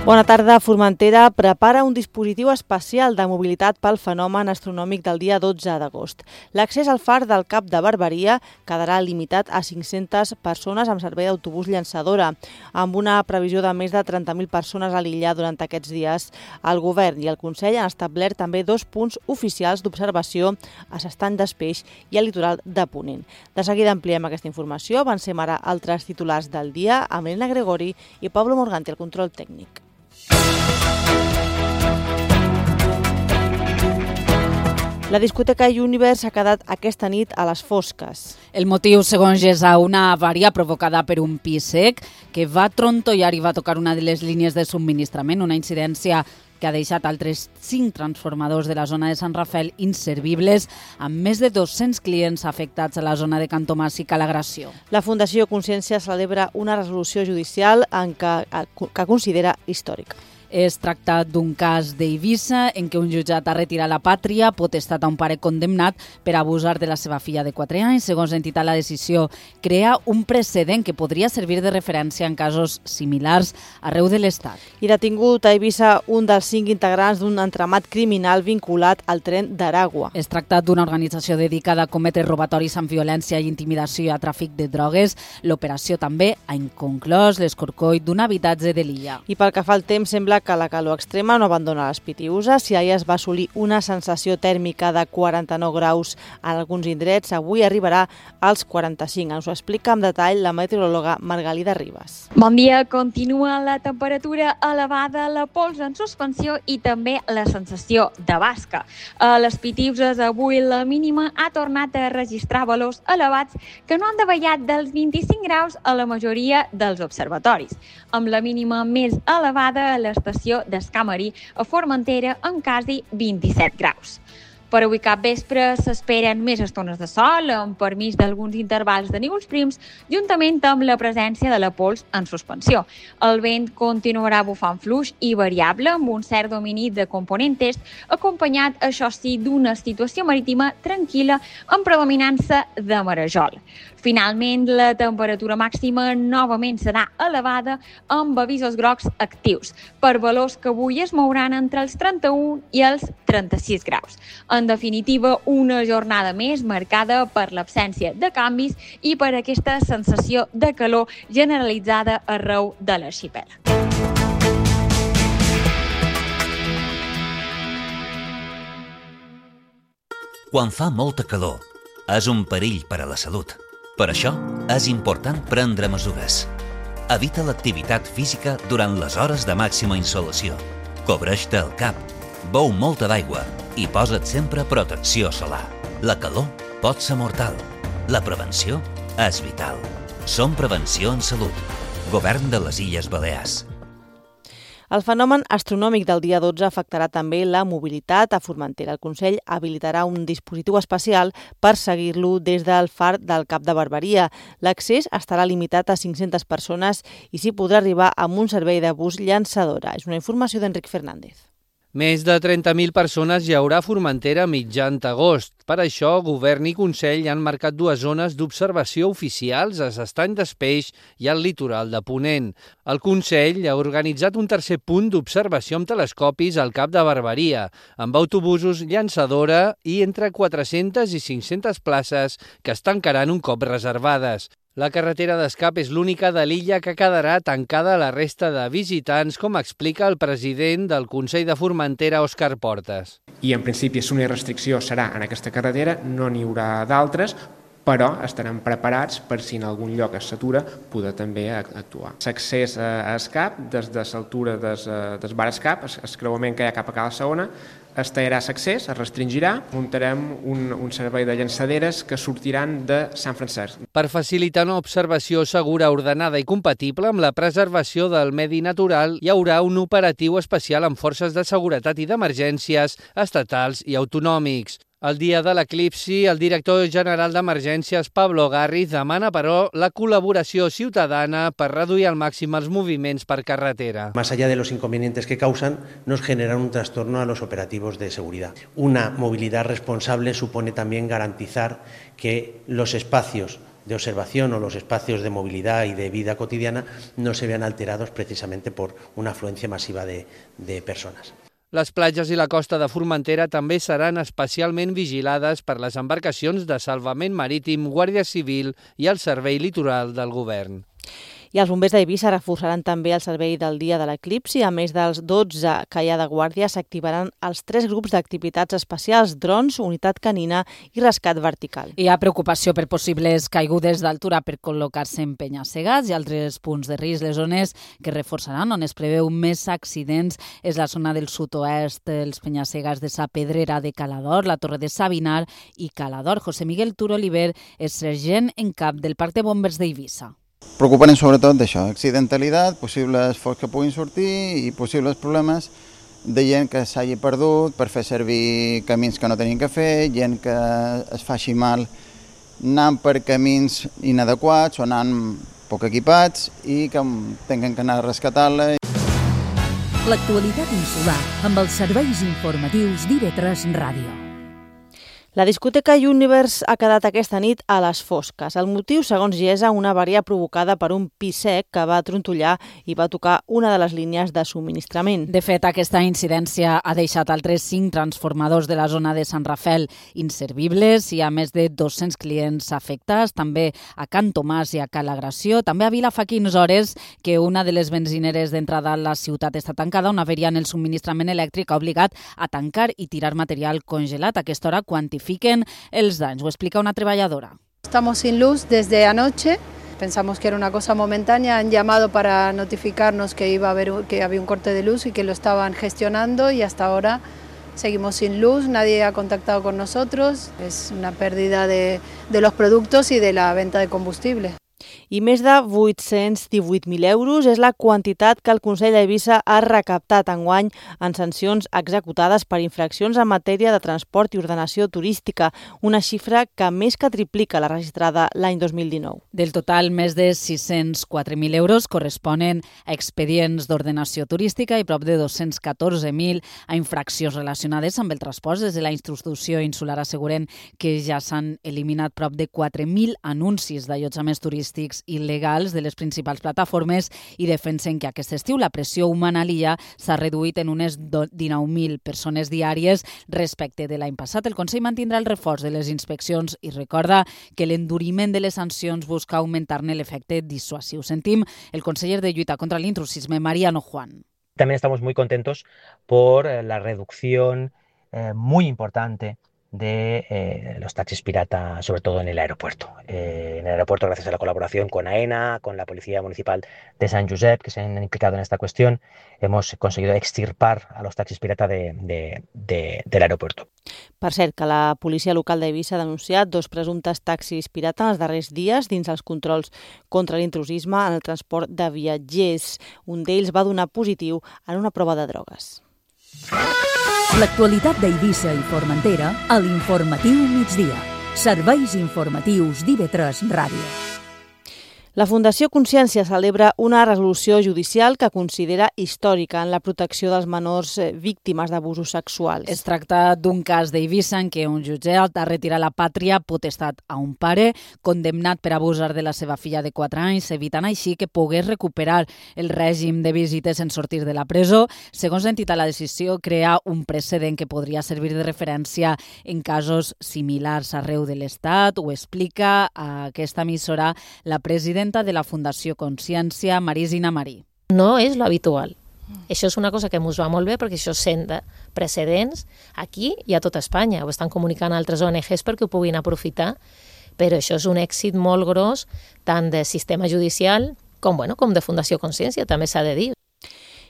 Bona tarda. Formentera prepara un dispositiu especial de mobilitat pel fenomen astronòmic del dia 12 d'agost. L'accés al far del Cap de Barberia quedarà limitat a 500 persones amb servei d'autobús llançadora. Amb una previsió de més de 30.000 persones a l'illa durant aquests dies, el Govern i el Consell han establert també 2 punts oficials d'observació a s'Estany d'Espeix i al litoral de Ponent. De seguida ampliem aquesta informació. Avancem ara altres titulars del dia amb Elena Gregori i Pablo Morganti al control tècnic. La discoteca Universe ha quedat aquesta nit a les fosques. El motiu, segons GESA, una avaria provocada per un pis sec que va trontollar i va tocar una de les línies de subministrament, una incidència que ha deixat altres 5 transformadors de la zona de Sant Rafael inservibles, amb més de 200 clients afectats a la zona de Cantomàs i Calagració. La Fundació Consciència celebra una resolució judicial que considera històrica. Es tracta d'un cas d'Eivissa en què un jutjat ha retirat la pàtria potestat a un pare condemnat per abusar de la seva filla de 4 anys. Segons l'entitat, la decisió crea un precedent que podria servir de referència en casos similars arreu de l'Estat. I detingut a Eivissa un dels 5 integrants d'un entramat criminal vinculat al tren d'Aragua. Es tracta d'una organització dedicada a cometre robatoris amb violència i intimidació i a tràfic de drogues. L'operació també ha inconclòs l'escorcoll d'un habitatge de l'illa. I pel que fa al temps, sembla que la calor extrema no abandona les Pitiüses. Si ahir es va assolir una sensació tèrmica de 49 graus en alguns indrets, avui arribarà als 45. Ens ho explica amb detall la meteoròloga Margalida Ribas. Bon dia. Continua la temperatura elevada, la pols en suspensió i també la sensació de basca. A les Pitiüses avui la mínima ha tornat a registrar valors elevats que no han davallat dels 25 graus a la majoria dels observatoris, amb la mínima més elevada a l'estació d'Escamarí a Formentera amb quasi 27 graus. Per avui cap vespre s'esperen més estones de sol, amb permís d'alguns intervals de núvols prims, juntament amb la presència de la pols en suspensió. El vent continuarà bufant fluix i variable, amb un cert domini de component est, acompanyat, això sí, d'una situació marítima tranquil·la amb predominança de marejol. Finalment, la temperatura màxima novament serà elevada amb avisos grocs actius, per valors que avui es mouran entre els 31 i els 36 graus. En definitiva, una jornada més marcada per l'absència de canvis i per aquesta sensació de calor generalitzada arreu de l'arxipèlag. Quan fa molta calor, és un perill per a la salut. Per això, és important prendre mesures. Evita l'activitat física durant les hores de màxima insolació. Cobreix-te el cap, beu molta d'aigua i posa't sempre protecció solar. La calor pot ser mortal. La prevenció és vital. Som Prevenció en Salut. Govern de les Illes Balears. El fenomen astronòmic del dia 12 afectarà també la mobilitat a Formentera. El Consell habilitarà un dispositiu especial per seguir-lo des del far del Cap de Barberia. L'accés estarà limitat a 500 persones i s'hi podrà arribar amb un servei de bus llançadora. És una informació d'Enric Fernández. Més de 30.000 persones hi haurà a Formentera a mitjan d'agost. Per això, Govern i Consell han marcat 2 zones d'observació oficials a s'Estany d'Espeix i al litoral de Ponent. El Consell ha organitzat un tercer punt d'observació amb telescopis al Cap de Barberia, amb autobusos llançadora i entre 400 i 500 places que es tancaran un cop reservades. La carretera d'escap és l'única de l'illa que quedarà tancada a la resta de visitants, com explica el president del Consell de Formentera, Òscar Portes. I en principi, si una restricció serà en aquesta carretera, no n'hi haurà d'altres, però estarem preparats per si en algun lloc es satura poder també actuar. L'accés a escap, des de l'altura del bar escap, el creuament que hi ha cap a Cala Segona, es tallarà l'accés, es restringirà, muntarem un servei de llançaderes que sortiran de Sant Francesc. Per facilitar una observació segura, ordenada i compatible amb la preservació del medi natural, hi haurà un operatiu especial amb forces de seguretat i d'emergències estatals i autonòmics. El dia de l'eclipsi, el director general d'Emergències, Pablo Garriz, demana, però, la colaboració ciutadana per reduir al màxim els moviments per carretera. Más allá de los inconvenientes que causan, nos generan un trastorno a los operativos de seguridad. Una movilidad responsable supone también garantizar que los espacios observación o los espacios de movilidad y de vida cotidiana no se vean alterados precisamente por una afluencia masiva de personas. Les platges i la costa de Formentera també seran especialment vigilades per les embarcacions de salvament marítim, Guàrdia Civil i el Servei Litoral del Govern. I els bombers d'Eivissa reforçaran també el servei del dia de l'eclipsi. A més dels 12 que hi ha de guàrdia, s'activaran els 3 grups d'activitats especials, drons, unitat canina i rescat vertical. Hi ha preocupació per possibles caigudes d'altura per col·locar-se en penya-segats i altres punts de risc. Les zones que reforçaran, on es preveu més accidents, és la zona del sud-oest, els penya-segats de Sa Pedrera de Calador, la Torre de Sabinar i Calador. José Miguel Turo Oliver és sergent en cap del Parc de Bombers d'Eivissa. Preocupant sobretot d'això, accidentalitat, possibles focs que puguin sortir i possibles problemes de gent que s'hagi perdut per fer servir camins que no tenien que fer, gent que es faci mal anant per camins inadequats o anant poc equipats i que tinguin que anar a rescatar-la. L'actualitat insular amb els serveis informatius d'IV3 Ràdio. La discoteca Universe ha quedat aquesta nit a les fosques. El motiu, segons Giesa, una avaria provocada per un pi sec que va trontollar i va tocar una de les línies de subministrament. De fet, aquesta incidència ha deixat altres 5 transformadors de la zona de Sant Rafel inservibles. Hi ha més de 200 clients afectats, també a Can Tomàs i a Cala Gració. També a Vila fa 15 hores que una de les benzineres d'entrada a la ciutat està tancada. Una avaria en el subministrament elèctric ha obligat a tancar i tirar material congelat. A aquesta hora quantifiquen els danys. Ho explica una treballadora. Estamos sin luz desde anoche. Pensamos que era una cosa momentánea. Han llamado para notificarnos que había un corte de luz y que lo estaban gestionando y hasta ahora seguimos sin luz. Nadie ha contactado con nosotros. Es una pérdida de los productos y de la venta de combustible. I més de 818.000 euros és la quantitat que el Consell d'Eivissa ha recaptat enguany en sancions executades per infraccions en matèria de transport i ordenació turística, una xifra que més que triplica la registrada l'any 2019. Del total, més de 604.000 euros corresponen a expedients d'ordenació turística i prop de 214.000 a infraccions relacionades amb el transport. Des de la institució insular asseguren que ja s'han eliminat prop de 4.000 anuncis d'allotjaments turístics il·legals de les principals plataformes i defensen que aquest estiu la pressió humana a l'illa s'ha reduït en unes 19.000 persones diàries respecte de l'any passat. El Consell mantindrà el reforç de les inspeccions i recorda que l'enduriment de les sancions busca augmentar-ne l'efecte dissuasiu. Sentim el conseller de Lluita contra l'Intrusisme, Mariano Juan. También estamos muy contentos por la reducción muy importante de los taxis pirata, sobre todo en el aeropuerto. En el aeropuerto, gracias a la colaboración con AENA, con la Policía Municipal de San Josep, que se han implicado en esta cuestión, hemos conseguido extirpar a los taxis pirata del aeropuerto. Per cert, que la policia local d'Eivissa ha denunciat 2 presumptes taxis pirata en els darrers dies dins els controls contra l'intrusisme en el transport de viatgers. Un d'ells va donar positiu en una prova de drogues. L'actualitat d'Eivissa i Formentera a l'Informatiu Migdia. Serveis informatius d'IV3 Ràdio. La Fundació Consciència celebra una resolució judicial que considera històrica en la protecció dels menors víctimes d'abusos sexuals. Es tracta d'un cas d'Eivissa en què un jutjat ha retirat la pàtria potestat a un pare condemnat per abusar de la seva filla de 4 anys, evitant així que pogués recuperar el règim de visites en sortir de la presó. Segons l'entitat, la decisió crea un precedent que podria servir de referència en casos similars arreu de l'Estat. Ho explica a aquesta emissora la presidenta de la Fundació Consciència, Marisina Marí. No és lo habitual. Això és una cosa que ens va molt bé perquè això senta precedents aquí i a tot Espanya. Ho estan comunicant altres ONGs perquè ho puguin aprofitar, però això és un èxit molt gros tant de sistema judicial com de Fundació Consciència, també s'ha de dir.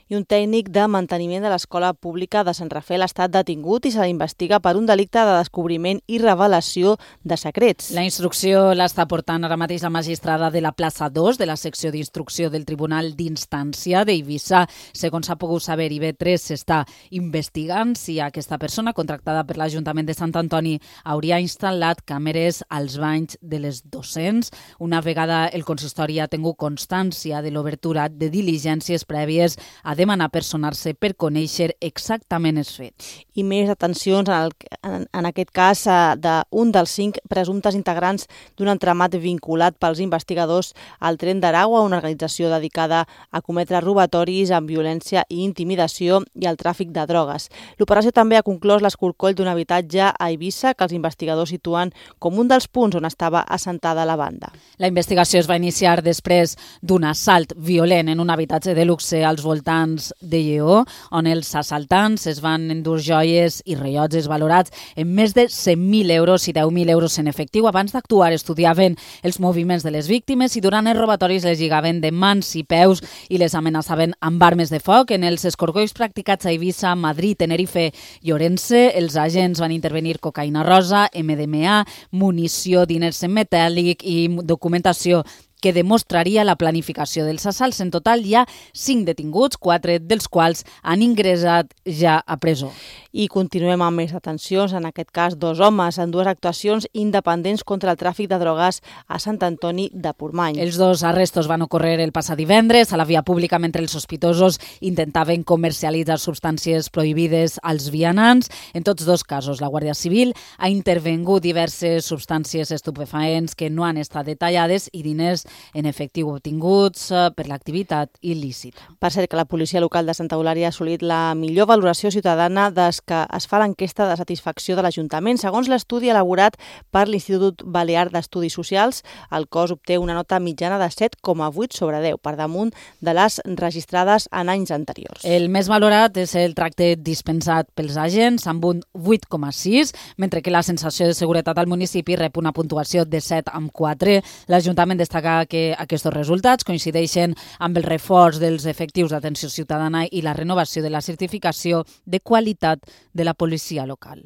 I un tècnic de manteniment de l'Escola Pública de Sant Rafel ha estat detingut i se l'investiga per un delicte de descobriment i revelació de secrets. La instrucció l'està portant ara mateix la magistrada de la plaça 2 de la secció d'instrucció del Tribunal d'Instància d'Eivissa. Segons s'ha pogut saber, IB3 s'està investigant si aquesta persona contractada per l'Ajuntament de Sant Antoni hauria instal·lat càmeres als banys de les docents. Una vegada el consistori ha tingut constància de l'obertura de diligències prèvies, ha demanar personar-se per conèixer exactament els fets. I més detencions, en aquest cas, d'un dels 5 presumptes integrants d'un entramat vinculat pels investigadors al Tren d'Aragua, una organització dedicada a cometre robatoris amb violència i intimidació i al tràfic de drogues. L'operació també ha conclòs l'escorcoll d'un habitatge a Eivissa que els investigadors situen com un dels punts on estava assentada la banda. La investigació es va iniciar després d'un assalt violent en un habitatge de luxe als voltants de Lleó, on els assaltants es van endur joies i rellotges valorats en més de 100.000 euros i 10.000 euros en efectiu. Abans d'actuar estudiaven els moviments de les víctimes i durant els robatoris les lligaven de mans i peus i les amenaçaven amb armes de foc. En els escorcolls practicats a Eivissa, Madrid, Tenerife i Orense, els agents van intervenir cocaïna rosa, MDMA, munició, diners en metàl·lic i documentació que demostraria la planificació dels assalts. En total hi ha 5 detinguts, 4 dels quals han ingressat ja a presó. I continuem amb més detencions, en aquest cas 2 homes en 2 actuacions independents contra el tràfic de drogues a Sant Antoni de Portmany. Els 2 arrestos van ocórrer el passat divendres a la via pública mentre els sospitosos intentaven comercialitzar substàncies prohibides als vianants. En tots 2 casos, la Guàrdia Civil ha intervengut diverses substàncies estupefaents que no han estat detallades i diners en efectiu obtinguts per l'activitat il·lícita. Per cert, que la policia local de Santa Eulària ha assolit la millor valoració ciutadana des que es fa l'enquesta de satisfacció de l'Ajuntament. Segons l'estudi elaborat per l'Institut Balear d'Estudis Socials, el cos obté una nota mitjana de 7,8 sobre 10, per damunt de les registrades en anys anteriors. El més valorat és el tracte dispensat pels agents, amb un 8,6, mentre que la sensació de seguretat al municipi rep una puntuació de 7,4. L'Ajuntament destaca que aquests resultats coincideixen amb el reforç dels efectius d'atenció ciutadana i la renovació de la certificació de qualitat de la policia local.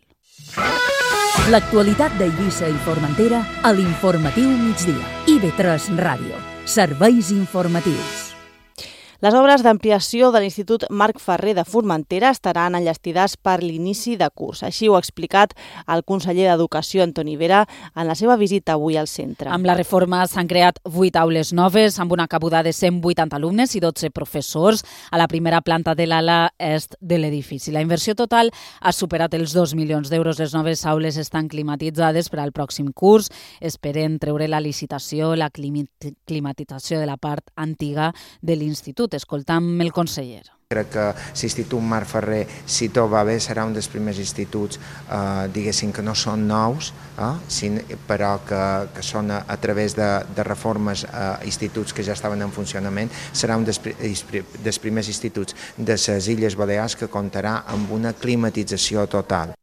L'actualitat d'Eivissa i Formentera a l'Informatiu Migdia. IB3 Ràdio. Serveis informatius. Les obres d'ampliació de l'Institut Marc Ferrer de Formentera estaran enllestides per l'inici de curs. Així ho ha explicat el conseller d'Educació, Antoni Vera, en la seva visita avui al centre. Amb la reforma s'han creat 8 aules noves, amb una cabuda de 180 alumnes i 12 professors a la primera planta de l'ala est de l'edifici. La inversió total ha superat els 2 milions d'euros. Les noves aules estan climatitzades per al pròxim curs. Esperen treure la licitació, la climatització de la part antiga de l'Institut. Escoltam el conseller. Crec que l'Institut Marc Ferrer, si tot va bé, serà un dels primers instituts, diguéssim, que no són nous, però que són a través de reformes instituts que ja estaven en funcionament. Serà un dels primers instituts de les Illes Balears que comptarà amb una climatització total.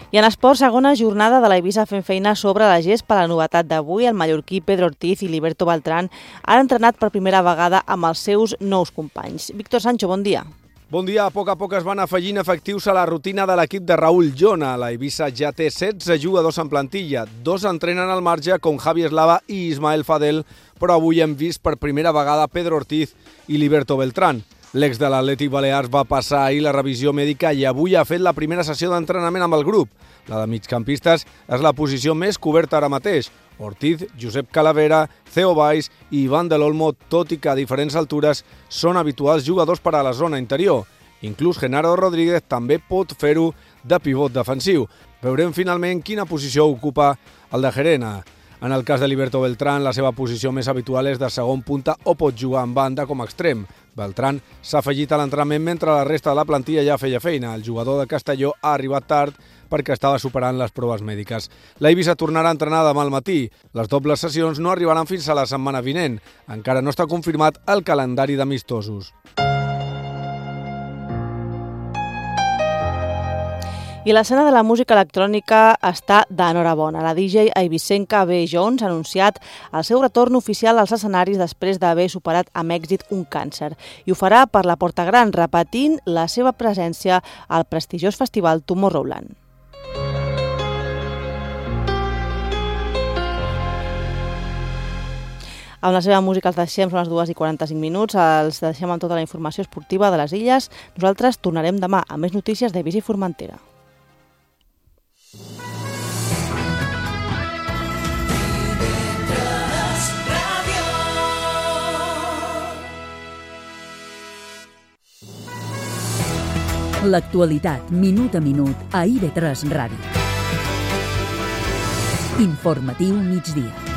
I en esport, segona jornada de l'Eivissa fent feina sobre la gespa. La novetat d'avui, el mallorquí Pedro Ortiz i Liberto Beltrán han entrenat per primera vegada amb els seus nous companys. Víctor Sancho, bon dia. Bon dia. A poc es van afegint efectius a la rutina de l'equip de Raúl Llona. L'Eivissa ja té 16 jugadors en plantilla. 2 entrenen al marge, com Javi Eslava i Ismael Fadel, però avui hem vist per primera vegada Pedro Ortiz i Liberto Beltrán. L'ex de l'Atlètic Balears va passar ahir la revisió mèdica i avui ha fet la primera sessió d'entrenament amb el grup. La de migcampistes és la posició més coberta ara mateix. Ortiz, Josep Calavera, Theo Valls i Ivan de l'Olmo, tot i que a diferents altures, són habituals jugadors per a la zona interior. Inclús Genaro Rodríguez també pot fer-ho de pivot defensiu. Veurem finalment quina posició ocupa el de Gerena. En el cas de Liberto Beltrán, la seva posició més habitual és de segon punta o pot jugar en banda com a extrem. Beltrán s'ha afegit a l'entrenament mentre la resta de la plantilla ja feia feina. El jugador de Castelló ha arribat tard perquè estava superant les proves mèdiques. L'Eivissa tornarà a entrenar demà al matí. Les dobles sessions no arribaran fins a la setmana vinent. Encara no està confirmat el calendari d'amistosos. I l'escena de la música electrònica està d'enhorabona. La DJ eivissenca B. Jones ha anunciat el seu retorn oficial als escenaris després d'haver superat amb èxit un càncer. I ho farà per la Porta Gran, repetint la seva presència al prestigiós festival Tomorrowland. Amb la seva música els deixem, són les 2:45, els deixem amb tota la informació esportiva de les illes. Nosaltres tornarem demà amb més notícies d'Eivissa i Formentera. L'actualitat, minut a minut, a IB3 Ràdio. Informatiu migdia.